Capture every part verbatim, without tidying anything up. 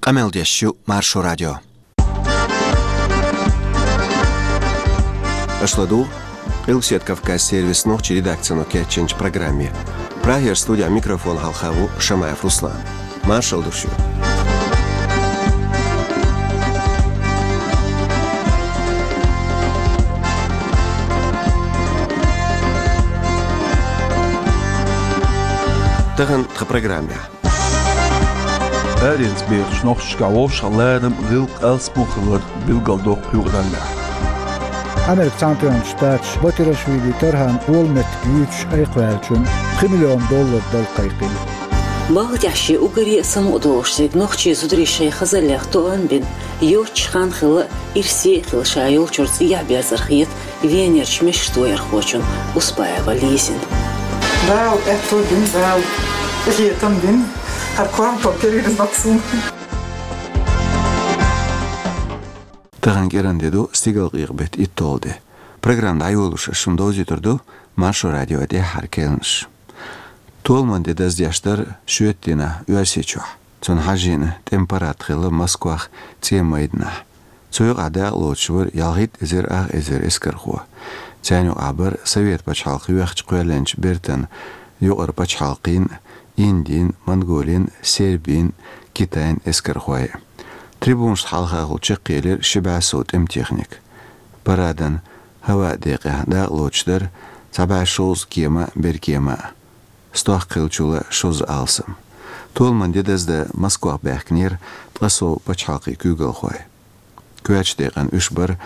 Къамел деш ю Маршо радио. Аша ладугӀу Къилбаседа Кавказан сервисан нохчийн редакцино кечйинчу программе. Прагера студехь микрофон хьалха ву Шамаев Руслан. Маршалла ду шуьга. Тахана тхан программехь. Аренца бехачу нохчашкахь вовшахларам, гӀиллакх алсам хилар билгалдоккху юкъараллехь. Американ Цхьаьнатоьхначу Штаташа Батирашвили Тархьан олу меттиг юьйцуш айкхваьллачунна пхи миллион доллар дала кхайкхина. Балха тӀехь шен уггаре а самукъадолуш дерг нохчийн зударий шайн хазаллех тоам бина, йоццуш хан хилла, ирсе а хилла ша йолчуьра цӀехьа берзар хета Венерчу мешкашца ваярхочун Успаева Лизин. Дала аьтто дина, Дала къинхетам дина, хӀара корматалла кхерийна нах суна. Тахана кӀиранде ду стигалкъекъа беттан итталгӀа де. Программа дӀайолош ас шуна довзуьйтур ду Маршо радион тӀаьххьара кхаьънаш. Толаман де даздеш дара шоьтан дийнахь Оьрсийчохь. Цунна хьажийна тӀеман парад хилла Москвахь цӀен майданахь. Цу юкъахь дакъалоцуш вара ялхитта эзар ах эзар эскархо. Царна юкъахь бара Совет пачхьалкх йоьхча кхоьллинчу бертан юкъара пачхьалкхийн, Индин, Монголин, Сербин, Китайн эскархой. Трибунашна хьалхахула чекхъелира ши бӀе сов тӀеман техника. Парадан хӀаваан декъехь дакъалоцуш дара цхьа бӀе шовзткъа кема а, беркема а. Стохка хиллачул шозза алсам. Толаман де даздан Москвахь баьхкинера ткъа сов пачхьалкхийн куьйгалхой. Коьртачу декъана уьш бара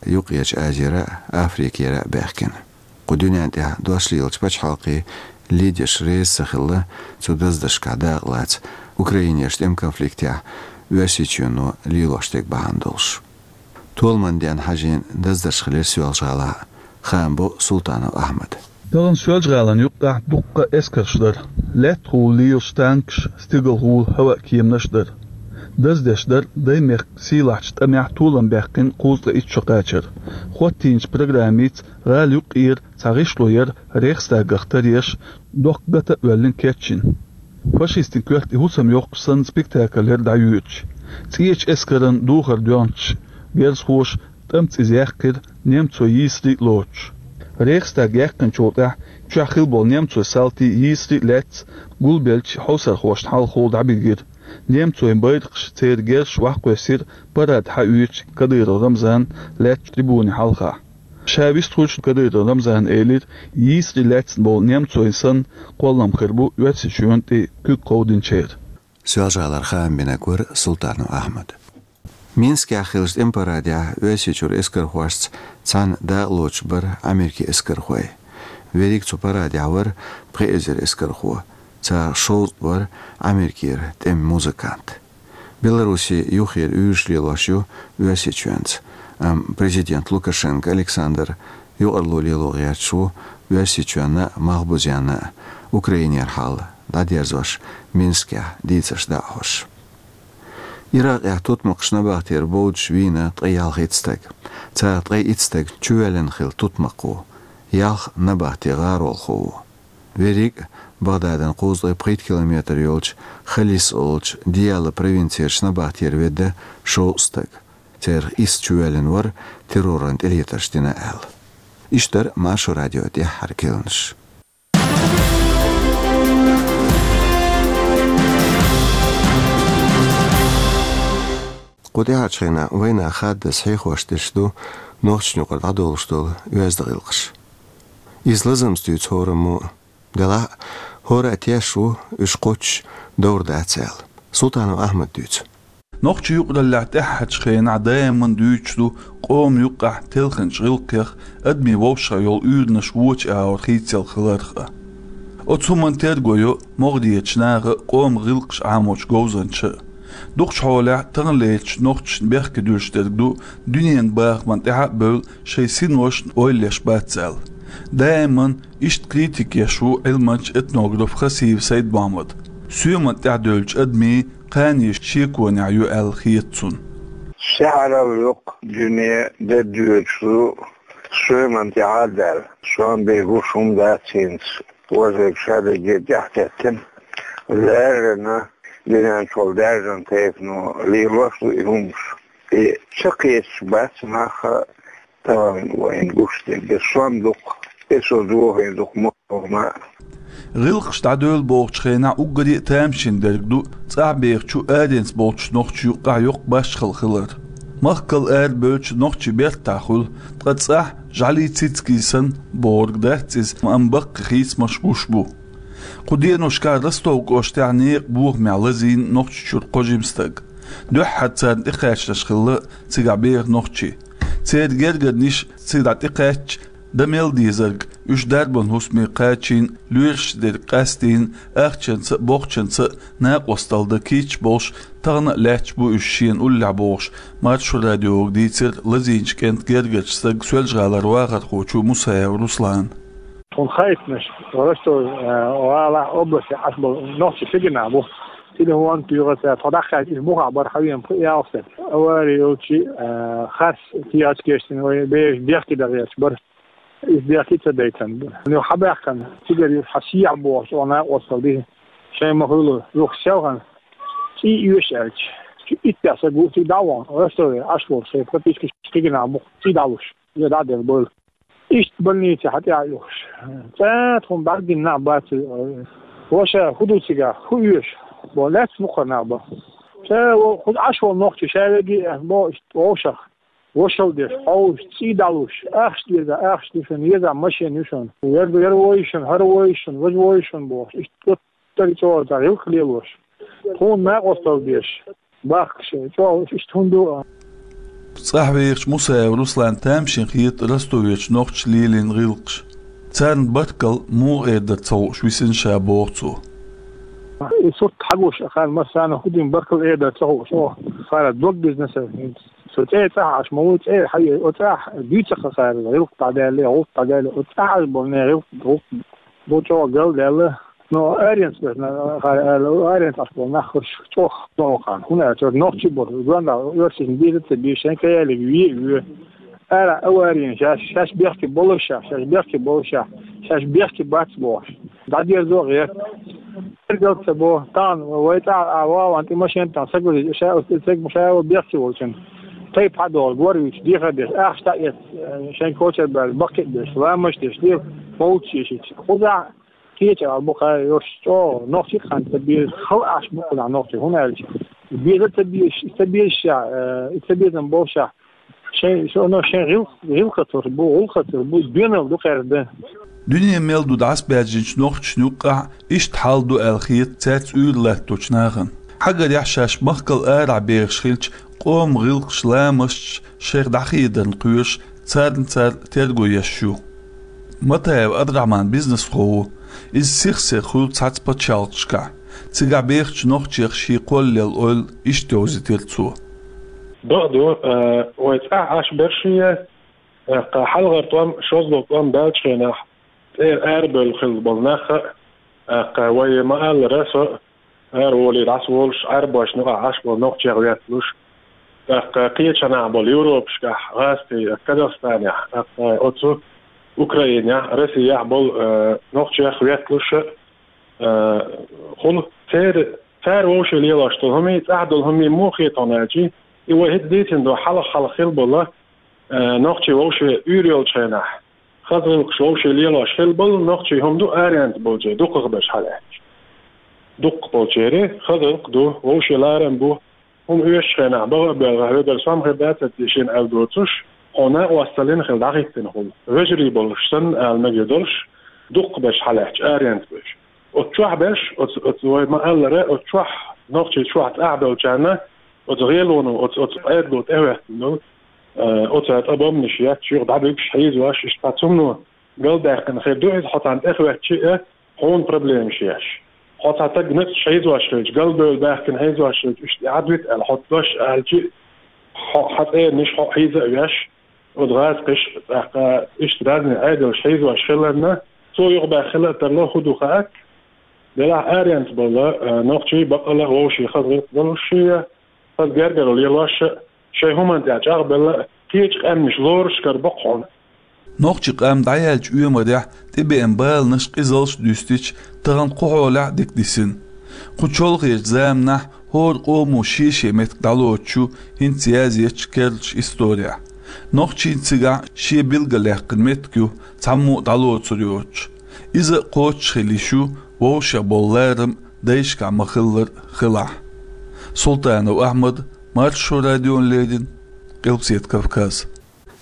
Юккъерчу Азера а, Африкера а баьхкина. Кху дуьнен тӀехь дош лелачу пачхьалкхийн лидерш реза ца хилла цу даздашкахь дакъалаца Украинерчу тӀеман конфликтехь Оьрсийчоьно лелош дерг бахьана долуш. Толаман денна хьажийна даздарш хилира Соьлжа-ГӀалахь а, хаам бо Султанов Ахьмада. Тахана Соьлжа-ГӀалина юккъехь дуккха а эскарш дара. Лаьттахула лелаш танкаш, стигалхула хӀаваан кеманаш а дара. Даздеш дара Даймехкан сийлахьчу тӀамехь толам баьккхина кхузткъе итт шо кхачар. ХӀоттийначу программица гӀала юккъера цхьа гӀишло яра Рейхстагах таръеш, дохка гата а воьллина кечйина. Фашистийн коьрта и хӀусам йоккхуш санна спектакль яра дӀайоьдуш. ЦӀечу эскаран духар доьгӀначу герзахоша тӀамца иза яьккхира, немцойн йийсарий а лоцуш. Рейхстаг яьккхинчул тӀаьхьа чохь хилла болу немцойн салтий, йийсарий а лаьцна гулбеллачу хьовсархошна хьалхахула дӀабигира. Немцойн байракхаш, церан герзаш охьакхоьссира парад хьаоьцучу Кадыров Рамзана лаьттачу трибуни хьалха. Ша вистхуьлуш Кадыров Рамзана элира, йийсарий лаьцна болу немцойн санна кхоллам хир бу Оьрсийчоьнан тӀе куьг кховдийначеран. Соьлжа-ГӀалара хаам бинарг вара Султанов Ахьмад. Минскехь хиллачу тӀеман парадехь Оьрсийчуьра эскархошца цхьаьна дакъалоцуш бара Америкин эскархой. Верриг цу парадехь вара пхи эзар эскархо, царах шовзткъа вара Америкера тӀеман музыкант. Белоруссия юххера уьйраш лелош ю Оьрсийчоьнца, амма президент Лукашенко Александр юкъарло лело гӀерташ ву Оьрсийчоьнна а, Малхбузенна а Украинера хьал дӀадерзош, Минскехь дийцарш дӀа а хьош. Иракъехь тутмакхаш набахтера бовдуш вийна ткъе ялхитта стаг. Царах ткъе итт стаг чувоьллина хилла тутмакх ву, ялх набахтин гӀаролхо ву. Верриг а Багдадан кхузткъе пхийтта километр йолчу Халис олучу Дияла провинцерчу набахтера ведда шовзткъа стаг. Царах исс чувоьллина вара терроран тӀелетарш дина аьлла. Иштта дара Маршо радион тӀаьххьара кхаьънаш. Кху тӀаьхьарчу хенахь вайнах хаддаза хьехош дерш ду нохчашна юкъара дӀадолуш долу оьзда гӀиллакхаш. Иза лазамца дуьйцу хӀораммо, делахь а хӀора а тешаш ву, уьш кхоччуш довр дац аьлла. Султанов Ахьмада дуьйцу. Нохчийн юкъараллехь тӀаьххьарчу хенахь даиман дуьйцуш ду къоман юккъехь телхинчу гӀиллакхех адамийн вовшах йолу уьйранаш вочу агӀор хийцаелла хиларх а. Оцу хӀуманна терго йо могӀарерчу наха а, къоман гӀиллакхаш Ӏамочу говзанчаша а. Дукхачу хьолехь таханлерчу нохчашна бехке дуьллуш дерг ду, дуьненан бахамна тӀаьхьа а бевлла, шайн синошна ойла еш бац аьлла. Даиман иштта критика еш ву Ӏилманча, этнограф Хасиев Сайд-Мохьмад. Соьмана тӀехь девллачу адамийн кхане шеконехь ю аьлла хета цунна. Сехьаралла йоккха дуьне де доьдуш ду, соьмана тӀехь а даьлла. Сон бен гуш хӀума дац хӀинца. Ожег шадерриге тӀехь теттина. Леррина Динан чул даьржан тайпано лелош ду и хӀумаш. И чакхеташ бац наха тахана вайна гуш дерг. Сом дукха, эсо дохе дукха ма. ГӀиллакхаш дӀадоьлла бохучу хенахь уггаре а тамашийна дерг ду цӀахь бехачу аренца болчу нохчийн юккъехь йоккха башхалла хилар. Махкал арабевлча нохчийн бертахь хуьлу, ткъа цӀахь жӀаьлий цицкий санна бохург дац иза, амма баккхий хийцамаш гуш бу. Кху деношкахь Ростов кӀоштехь некъан бохамехь лазийна Нохчийчуьра кхо жима стаг. Дуьххьара царна тӀекхачанаш хилла цигахь беха нохчий. Церан гергарниш цигахь тӀекхаьчча, дан мел дезарг, уьш дарбан хӀусаме кхачийна, лоьраш дерг къастийна, ахчанца а, бохчанца а накъосталла дан кийча болуш, тахана а лаьтташ бу уьш шена уллехь бохуш, Маршо радиога дийцира лазийначу кӀентан гергарчу стага, Соьлжа-ГӀалара вахархочо Мусаев Руслана. Тхуна хаийтинарш Ростов, э, гӀалахь, областе Ӏаш болу нохчий стеган нах бу. Телефон туьйхира цара, тхо дӀакхаьчча, иза мухахь бара, хьан вен пхи-ялх стаг. Авари йолчу, э, харц тӀехьа кечдина вай бераш дехке дагӀерча бара. Иза дехке ца дайтина бара. Нуьха хьан баьхкина, цигара юха хьан сехьа бохуш, оха накъосталла дихи. Шайн ма хуьлу, юха селхана цӀий оьшу аьлча, чу иттех са гуттиг дӀа а вахана, Ростове Ӏаш волу шайн пропискаш стеган нах бу, цӀий дӀалуш. Иза дӀа а делла бойла. Иштта больнице хьан тӀе а юхуш. ЦӀа тхуна бӀаьргина нах бац. Ваша, хӀун ду цигахь, хӀун оьшу? Бо, лаьцна мукхара нах бо. Ша, хӀун Ӏаш волу нохчий, ша веги а, бо, иштта вовшах. Вошалла деш, хьовсуш, цӀий дӀалуш, ахча деза, ахча ду шуна, еза машина ю шуна. Яра, яра войшина, хӀара войшина, важа войшина бохуш. Иштта оццул чӀогӀа гӀиллакх лелош. Тхуна накъосталла деш, бахкаш, чӀогӀа иштта хӀун ду а. ЦӀахь вехачу Мусаев Руслана тамашийна хета Ростовечу нохчаша лелийна гӀиллакхаш. Царна баркалла муха эр дара ца хууш висина ша, боху цо. И сурт хьагуш, ахана массарна хӀун дина баркалла эр дара ца хууш, оха хара дог бизнеса. Со цӀе цӀахь Ӏаш ма ву, цӀе хьайо, оцу цӀахь дуьйцу-кх хара, гӀиллакх дӀадаьлла, гӀуллакх дӀадаьлла, оцу цӀахь Ӏаш болу нехан гӀиллакх, гӀуллакх ду чӀогӀа галдаьлла. Но аренца беш, хара аьлла, аренца Ӏаш болу нах хӀорш чӀогӀа догӀу кхарна. ХӀунда аьлча нохчий бу, гонда оьрсашна беза ца безаш, шайн каялиг ве а ве. Ара аварийна, шаьш, шаьш бехке болуш, шаьш бехке болуш, шаьш бехке бац бохуш. ДӀадерзо а гӀерта. Гергал ца бо, тахана вай цӀа а вахана тӀе машен тӀехь сагуллий, ша оцу тӀе ца бехке волчун. Тайпа хьадогӀу, гор вуьйцуш, дехар деш, ахча дӀаэцна, шайн кочар баьлла, баккхий а беш, ламаш деш, лела, мовлид шешича. Кхузахь кхеча а бу кхара йош чӀогӀа, нохчий хан ца беза, хала Ӏаш бу кхузахь нохчий, хӀунда аьлча. Беза ца безаш, ца безаш, э, ца безам болуш, шайн, шуна шайн гӀил-, гӀиллакхатур бу, гӀуллакхатур бу, доьналла ду кхаьрда. Дуьне мел ду дӀасабаьржинчу нохчашна юккъехь иштта хьал ду аьлла хета цаьрца уьйр латточу нахана. Хьагарехь, шаьш махкал арахь бехаш хилча, къоман гӀиллакхаш, ламасташ шайх дӀахедарна кхоьруш, царна цара терго еш ю. Матаев Абдрахьман бизнесхо ву. Иза сих-сиха хуьлу цхьацца пачхьалкхашкахь. Цигахь бехачу нохчех шен кхоллалла ойла иштта йовзийтира цо. Бакъ ду, э, вай цӀахь Ӏаш берш а, э, кху хьалхара тӀом, шозлагӀа тӀом баьллачу хенахь, цӀера арабевлла хилла болу нах а, э, кху вай ма-аллара, со араволий, дӀасаволуш, Ӏаьрбошна юкъахь Ӏаш болу нохчех ветталуш, тӀаккха кхечанахь болу Европашкахь, гӀазкхий, Казахстанехь, тӀаккха оцу Украинехь, Россехь болу, э, нохчех ветталуш, э, хуьлу. Церан, цара вовшийн лелош долу хӀумий, цӀахь долу хӀумий муха хета хьуна аьлча, и вай хӀинца дийцина ду хьалха-хьалха хилла болу, э, нохчий вовшийн уьйр йолчу хенахь. Хаза гӀиллакхаш вовшийн лелош хилла болу нохчий хӀума ду аренца болчеран дукхахберш хьалаьцча. Дукхахболчеран хаза гӀиллакх ду, вовшийн ларам бу, хӀума оьшучу хенахь бага а боьлху, хьоьгара сом хир дацара те шена аьлла доцуш, хьо накъосталлина хила дӀахӀиттина хуьлу. Вежарий болуш санна ала мегар долуш, дукхахберш хьалаьцча аренца берш. Оцу чохь берш, оцу, оцу вай ма-аллара, оцу чохь, нохчийн чохь цӀахь долчарна, оцу гӀелоно, оцу, оцу Ӏедало тӀехӀоьттина долу, э, оцара цкъа бомбанаш етташ, юха дӀабуьгуш, хьийзош, иштта цхьа цунна галдаьккхина хир ду иза, хьо царна тӀехӀоьттича а, хьуна проблемаш еш. Хьо цхьа стаг ницкъ хьийзош хилча, галбевлла баьхкина хьийзош хилча, иштта Ӏадвита аьлла, хьо дош аьлча, хьо, хьан цӀерниш хьо хьийза а веш, оцу гӀазкхаша, тӀаккха иштта разный Ӏедалша хьийзош хиларна, цо юхабаьхна хила а тарло, хӀун ду хаьа. Делахь аренца болу, э, нохчий баккъала а вовшийн хаза гӀиллакх долуш а, хаза гергара лелош а, шайн хӀуманна тӀехь чӀагӀбелла а, кхечу къаьмнаш лоруш карабо-кх хьуна. Нохчийн къам дӀаяьллачу оьмарехь тӀебеана баланаш, къизаллаш дуьстича, тахана кху хьолехь а дика дисина. Кху чолхечу заманахь хӀора къомо шен-шен меттиг дӀалоцуш ю хӀинца язъечу керлачу исторехь. Нохчийн цигахь шен билгалъяьккхина меттиг ю, цхьаммо а дӀалоцур йоцуш. Иза а кхочуш хила йиш ю, вовшех болу ларам дайшкахь ма-хиллара хилахь. Султанов Ахьмад, Маршо радиона леррина, Къилбаседа Кавказ.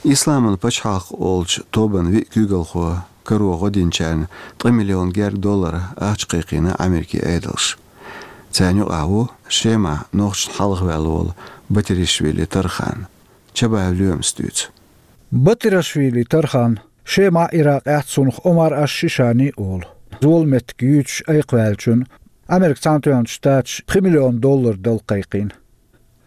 Исламан пачхьалкх олучу тобан виъ куьйгалхо каро гӀо динчарна ткъа миллион герга доллар ахча кхайкхийна Америкин Ӏедалша. Царна юкъахь ву Шемахь нохчашна хьалхаваьлла волу Батиришвили Тархан. Чабаев Лоьмас дуьйцу. Батирашвили Тархан Шемахь, Иракъехь цунах Омар аш-Шишани олу, золу меттиг юьйцуш айкхваьллачунна Америкин Цхьаьнатоьхначу Штаташа пхи миллион доллар дала кхайкхийна.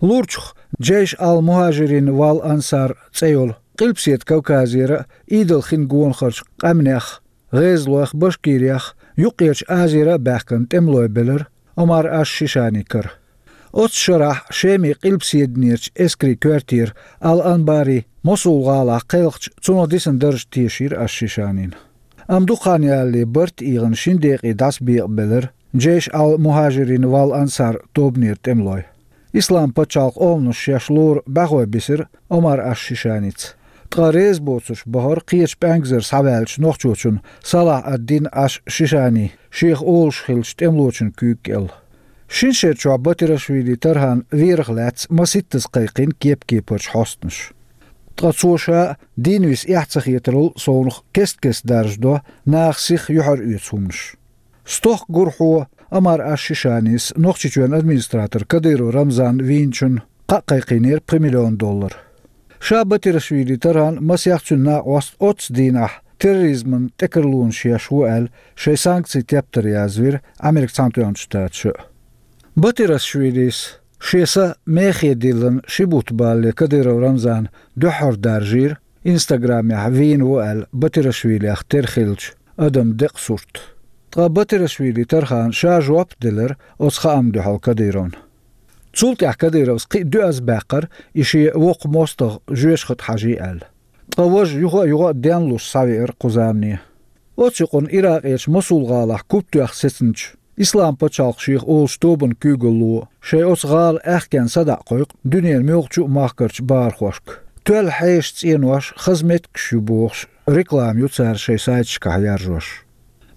Лурчух Джейш ал-Мухажирин вал Ансар цӀе йолу, Къилбаседа Кавказера а, Ӏедал хин гонахарчу къаьмнех, ГӀезалойх, Башкирехь, Юккъерчу Азера а баьхкина тӀемалой белира Омар аш-Шишани кара. Оццу шарахь Шеман къилбаседанерчу эскарийн коьртера Ал-Анбари Мосул-гӀалахь кхелхича, цунах дисина дарж тешийра аш-Шишанина. Амма дукха хан ялале барт ийгӀина шина декъе дӀасабекъабелира Джейш ал-Мухажирин вал Ансар тобанера тӀемалой. Ислам пачхьалкх оланаш шаьш лору бӀаьхой бисира Омар аш-Шишаница. Ткъа реза боцурш бахара кхечу пӀаьнгазара схьаваьллачу нохчочунна Салахь ад-Дин аш-Шишани шех олуш хиллачу тӀемалочун куьйга кӀел. Шина шер чохь Батирашвили Тархан верах лаьцна маситтаза кхайкхийна кеп-кепарчу хьостанаша. Ткъа цо ша дийна виса эхь ца хетарал совнах кест-кеста даржадо наха сиха юьхьар оьцу хӀуманаш. Стохка гурхьо Омар аш-Шишанис Нохчийчоьнан администратор Кадыров Рамзан вийначунна кхаъ кхайкхийнера пхи миллион доллар. Ша Батирашвили Тархан, масех цуьнан накъост оццу дийнахь терроризман тӀекарлонаш еш ву аьлла, шайн санкцийн тептар язвира Америкин Цхьаьнатоьхначу Штаташа а. Батирашвилис шен са мехе диллина ши бутт балале Кадыров Рамзана дуьххьара даржийра, Инстаграмехь вийна ву аьлла, Батирашвилех тера хиллачу адаман декъан сурт. Ткъа Батирашвили Тархана ша жоп а делира оцу хаамна дуьхьал Кадыровна. Цул тӀаьхьа Кадыровс кхин а доьазза баьккхира и шен воккха мостагӀа жоьжахате хьажийта аьлла. Ткъа важа юха а, юха а денлуш схьавеара кху замане. Оцу юкъана Иракъерчу Мосул-гӀалахь куп тоьхна сецначу Ислам пачхьалкх шех олучу тобанан куьйгалло шайн оцу гӀала аьхкенна садаӀа кхойкху дуьненан муьлххачу а махкарчу бахархошка. Тоьлла хьеша цӀенош, хаза меттигаш ю бохуш, реклама ю цара шайн сайташкахь яржош.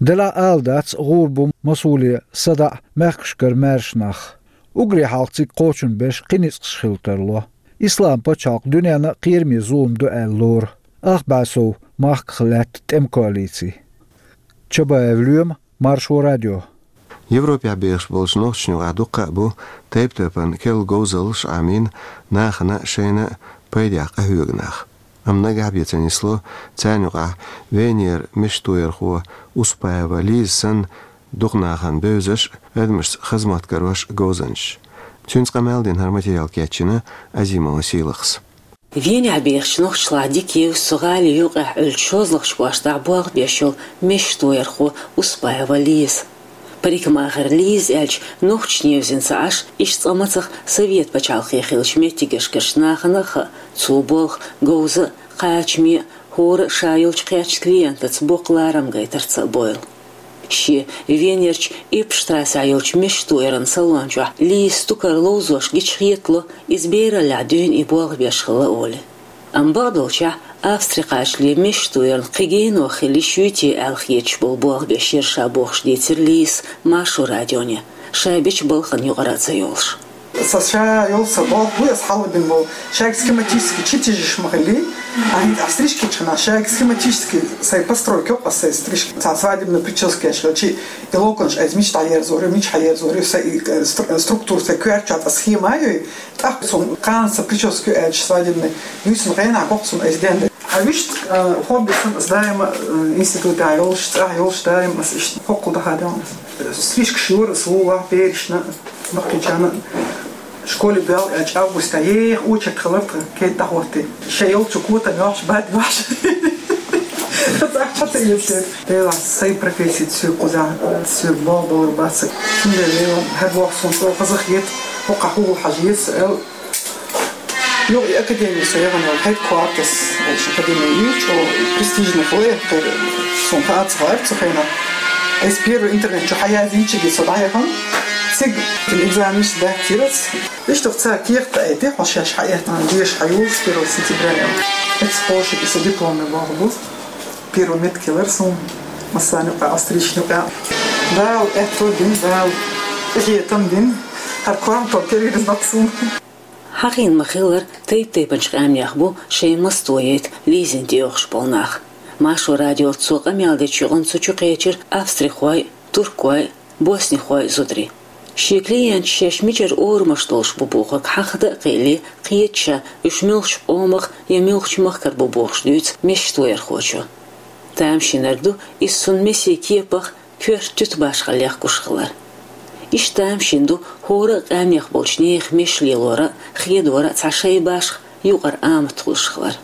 Делахь а ала дац, гӀур бу Мосуле садаӀа мехкашкара маьрша нах. Уггаре хьалха цига кхочун берш кхин ницкъаш хила тарло. Ислам пачхьалкх дуьненна а кхераме зулам ду аьлла лору, ах бӀе сов махках лаьтта тӀеман коалици. Чабаев Лоьма, Маршо радио. Европехь бехаш болчу нохчашна юкъахь дуккха а бу тайп-тайпана керла говзаллаш Ӏамийна, нахана а, шайна а пайдехь къахьоьгу нах. Амма нагахь бен ца нисло царна юкъахь Венера мешан тоярхо Успаева Лиза санна дукха нахана бевзаш а, адамашца хаза мотт карош а говзанчаш. Цуьнца къамел дина хӀара материал кечйина Азимова Сийлахьас. Венехь бехачу нохчашлахь дика евза цу гӀали юкъехь Ӏуьллучу шозлагӀчу кӀоштахь болх беш йолу мешан тоярхо Успаева Лиза. Парикмахер Лиза аьлча, нохчашна евзина ца Ӏаш, иштта цкъа мацах Совет пачхьалкхе хиллачу меттигашкарчу нахана а хаьа цо болх говза а, кхачаме а, хӀора а ша йолчу кхечу клиентаца боккха ларам гайтарца а бойла. Шен Венерчу Иппштрассе йолчу мешан тояран салон чохь Лиза стукар ловзош гича хетало, иза бераллехь дуьйна и болх беш хилла олий. Амма бакъдолчехь, Австри кхачале мешан тоярна кхин генох хила йиш юй те аьлла хеташ болу болх беш яра ша бохуш дийцира Лизас Маршо радионе, ша бечу балхана юкъара а ца йолуш. Сан ша йолу сан болх бу аса хьалабина болу. Шайга схематически чу тижаш ма хилли, а хӀинца а стрижка чхьана шайга схематически сайн постройка йоккъу аса сайн стрижка. Цхьа свадебный прическа еш хилчи, и локонаш айса мича дӀаерзор ю, мича хьаерзор ю, сайн и, э, стру-, структура сайн коьртачохь цхьа схема а йой. ТӀаккха цунна кхана сан прическа ю аьлча свадебный, юьйцун гӀенахь боккху цунна айса денда. А вуьшта, э, хобби сан ас даима, э, институтехь йолуш, цӀахь йолуш даима ас иштта хӀоккхул даха а делла. Стрижкаш йора ас вула, берашна, баккхийчарна. Школе бел аьлча августа еха очерк хилар тхан, кеда дӀахӀотти. Шайн йолчу котам йохьуш, бад йохьуш. Цхьаъ ца йоьшура. Делахь сайн профессица соьга кхузахь, соьга болх балар бац. Цундела Делан хӀара боху суна цо хазахета, хӀокхахь хӀугул хьажа еза, аьлла. Юха и академия со яхана йолу, Headquarters, аьлча академия ю, чӀогӀа престижный хилла, кхера суна хаа ца хаьара цу хенахь. Айса первый интернет чу хьаязйинчигге со дӀаяхана. Цига экзаменаш даьттира ас. Иштта цара кехат айти, хьо шаьш хьаэттача деша хьаюллу первого сентября. Эцу кхошиг иса дипломный болх бу. Первый метка хилар суна массарна юкъахь, австрийцашна юкъахь. Дала аьтто дина, Дала къинхетам дина, хӀара корматалла кервирзина суна. Хьахийна ма-хиллара, тайп-тайпанчу къаьмнех бу шайн массо а яйта Лизина тӀеоьхуш болу нах. Маршо радиоца цо къамел дечу юкъанна цу чу кхечира австрихой, туркой, боснихой зударий. Шен клиенташ шаьш мичара орамаш долуш бу бохург хьахада а кхиале, кхета ша, уьш муьлхачу къомах я муьлхачу махкара бу бохуш дуьйцу мешан тоярхочо. Тамашийнарг ду иза цунна месийн кепах коьрта туьту башхалла лехкуш хилар. Иштта тамашийна ду хӀора а къаьмнех болчу нехан мешаш лелор а, хедор а цхьа шайн башха юкъара амат хуьлуш хилар.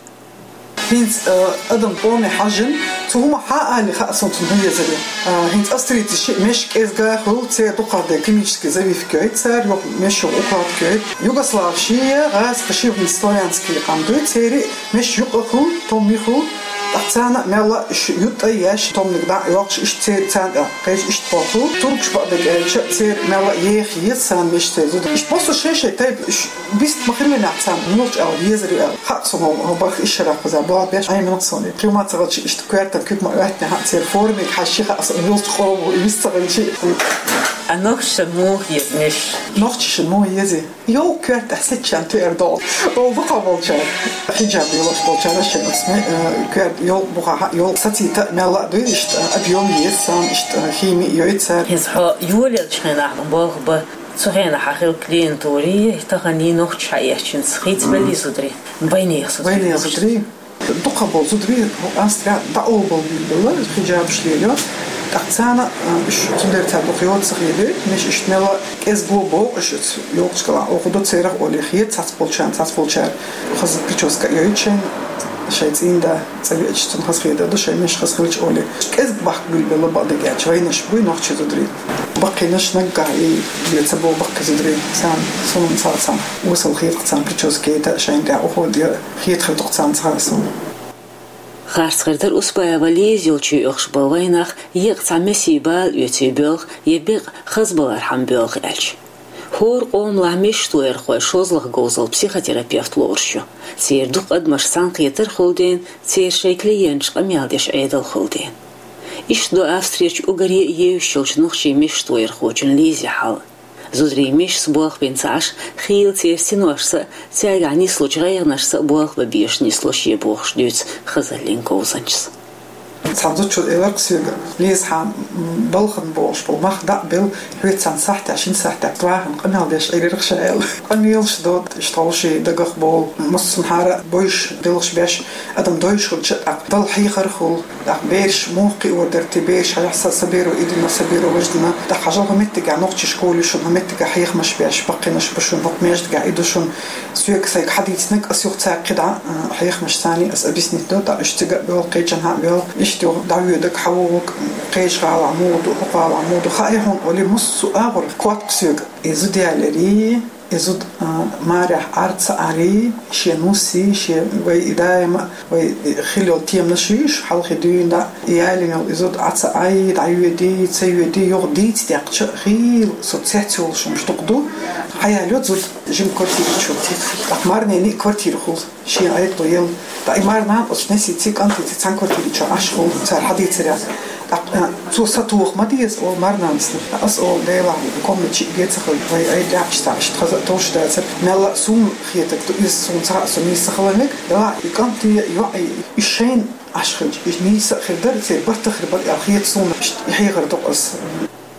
ХӀинца, э, адам тӀоме хьажжина, цу хӀума хьан али хаьа суна цунна хӀун езар ю. Э, хӀинца австрийцийн шиъ мешан кӀезга хуьлу, церан дукхахден химический завивка йойту цара, юха мешан укладка йойту. Югославаш я, гӀазкхаш я, хӀинца славянский къам дуй, церан мешан юкъа хуьлу, томми хуьлу, тӀаккха царна а мелла а уьш ютта а еш, томниг дӀа а йоккхуш, иштта церан царна а кхечу иштта боху. Туркаш бакъдерг аьлча, церан мелла а еха еза царна мешан церан зуда. Иштта массо а шай-шай тайпа уьш бист ма-хиллинехь царна муьлхачу аьлла езар ю аьлла. Хаьа суна хӀо барх ишшарах кхуза боху беш, Ӏемина суна. Кхин ма ца хилча, иштта коьртан куьг ма оьттина хаьа церан формиг хьаьжча хаьа суна, муьлхачу къоман ву и вист ца хилча. Ткъа нохчаша санна муха еза мешаш? Нохчаша санна муха еза? Йолу коьртехь сецчарна туьар долу. Олу дукхахболчара, хиджаб йолуш болчара шайн оцу ме-, э, коьрта йолу бухахь, йолу сацита а мелла а дуй, иштта объем еза царна, иштта хими а йойту цара. Иза хьо йолаеллачу хенахь болх бан, цу хенахь хьан хилла клиентура, тахана нохчаша хьаэцчинца хийцабеллий зударий? Вайнехан зударий. Вайнехан зударий. Дукхахболу зударий Австрехь дӀаолабелла хиджабаш лелайо. ТӀаккха царна, а, уьш, цундела цара дукха йоцу ца хилийта, мешаш иштта мелла а кӀезиг боху уьш, оцу йолчу кӀелахь оха ду церах олий, хета цхьацболчарна, цхьацболчара хаза прическа а йойту шайна, шайн цӀийнда цӀа веача цунна хаза хетар ду, шайн мешаш хаза хилча олий. КӀезиг бахка билбелла бакъдерг аьлча, вайнаш буй нохчийн зударий. Баккхийнаш наггахь и, и ца боху баккхий зударий, царна, суна царна, царна осал хета царна прическа йойту, шайна тӀехь уходит, хета хир ду-кх царна цхьа а суна. Харц хир дара Успаева Лиза йолчу оьхуш болу вайнах еккъа цхьа месийн бала оьций боьлху я бекъа хазбалархьама боьлху аьлча. ХӀора къомалахь мешан тоярхой шозлагӀа говзалла психотерапевт лоруш ю. Церан дукха адамаш цхьаьнакхетар хуьлу дела, церан шайн клиенташ къамел деш Ӏедал хуьлу дела. Иштта ду Австрерчу уггаре а евзаш йолчу нохчийн мешан тоярхочун Лизин хьал. Зударийн мешаца болх бина ца Ӏаш, хийла церан синошца а, цаьргахь нислучу гӀайгӀанашца а болх бан безаш нислуш ю бохуш дуьйцу хазаллин говзанчас. Цхьана зудчо элира-кх соьга: «Лиза, хьан, м, балхана болуш болу мах дӀа а белла, хьоьца цхьана сахьтехь, шина сахьтехь вахана къамел деш Ӏийрира-кх ша», — аьлла. Къамелаш до, иштта хьовсий дагах болу, массанхьара бойуш, делхаш беш, адам дойуш хилча, тӀаккха Далла хьехар хуьлу. ТӀаккха бераш муха кхиор дара те, бераш хьажахь са, са беро и дина, са беро важа дина. ТӀаккха хьажал хӀокху меттигехь нохчийн школа ю шуна, хӀокху меттигехь хьехамаш беш, баккхийнаш бу шуна, хӀокху маьждигехь и ду шуна. Соьга сайга хьадийцинарг ас юха цаьрга кхидӀа, а, хьехамаш царний ас объяснить до, тӀаккха уьш цига а боьлху, кхечанхьа а боьлху. Иштта юха дӀавоьдург хьавогӀург, кхечу гӀалахь муха ду, хӀокху гӀалахь муха ду, хаьий хьуна олий, массо а агӀор котта-кх соьга. И зуда яларий, и зуда, а, марехь Ӏар ца Ӏарий, шен нуссий, шен вай и даима, вай и хилла йолу теманаш ю уьш, хьалхе дуьйна дӀа, и ялийна йолу и зуда Ӏа ца Ӏай, дӀайоьдий, ца йоьдий, юха дийца деккхача а, хийла со цецволуш хӀумаш дукха ду. Хьаялайо зуда жима квартира чу. ТӀаккха марнений квартира хуьлу. Шен гӀайгӀа елла. ТӀаккха и марнана оцу несийций, кӀантийций цхьана квартири чохь Ӏаш хуьлу, цара хьадийцарехь. ТӀаккха, а, цо сатоха ма деза, олу марнанас. Ас олу, Делахь, комнаташ а бен ца хилла, вай айдехьча цхьа иштта хаза а товш дацара. Мелла а суна хетарг ду иза, суна цхьа а со нийса ца хила мега. Делахь, и кӀанте а, йоӀе а, и шайна Ӏаш хилча, и нийса а хир дара, церан барт а хир бара аьлла хета суна, иштта и хьехар ду-кх ас.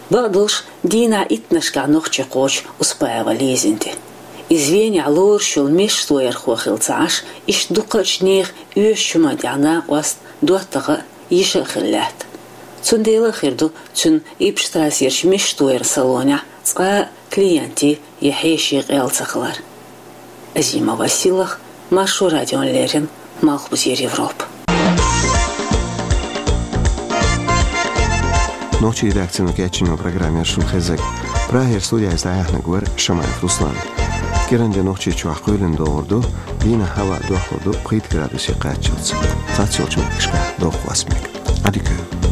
Бакъдолуш, дийнахь иттаннашкахь нохчи кхочу Успаева Лизина тӀе. Иза Венехь лоруш йолу мешан тоярхо хилла ца Ӏаш, иштта дукхачу нехан оьшучу хӀуманна тӀехь накъост, доттагӀа а, йиша а хилла лаьтта. Цундела а хир ду цуьнан Иппштрассерчу мешан тояран салонехь цкъа а клиентийн я хьешийн къел ца хилар. Азима Василах, Маршо радиона леррина, Малхбузера Европа. Нохчийн редакцино кечйина программа яра шуна хезнарг. Прагера студехь иза дӀаяьхьнарг вара Шамаев Руслан. КӀиранде Нохчийчохь кхоьлина догӀур ду, дийнахь хӀаваъ дохлур ду пхийтта градусе кхаччалц. Цхьаццайолчу меттигашкахь доккха хӀоьттина мега. Ӏадика йойла.